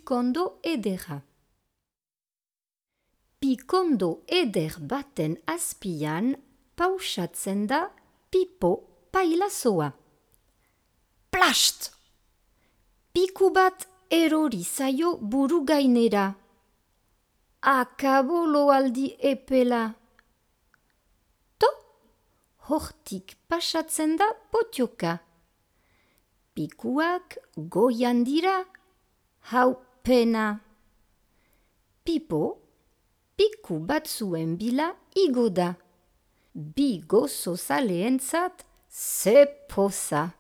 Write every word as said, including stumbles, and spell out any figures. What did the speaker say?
pikondo edera. Pikondo eder baten azpian pausatzen da Pipo pailazoa. Plast! Piku bat erori zaio buru gainera. Akabolo aldi epela. To, hortik pasatzen da potioka. Pikuak goian dira, hau pena. Pipo, piku batzuen bila igo da. Bi gozo zaleentzat ze poza.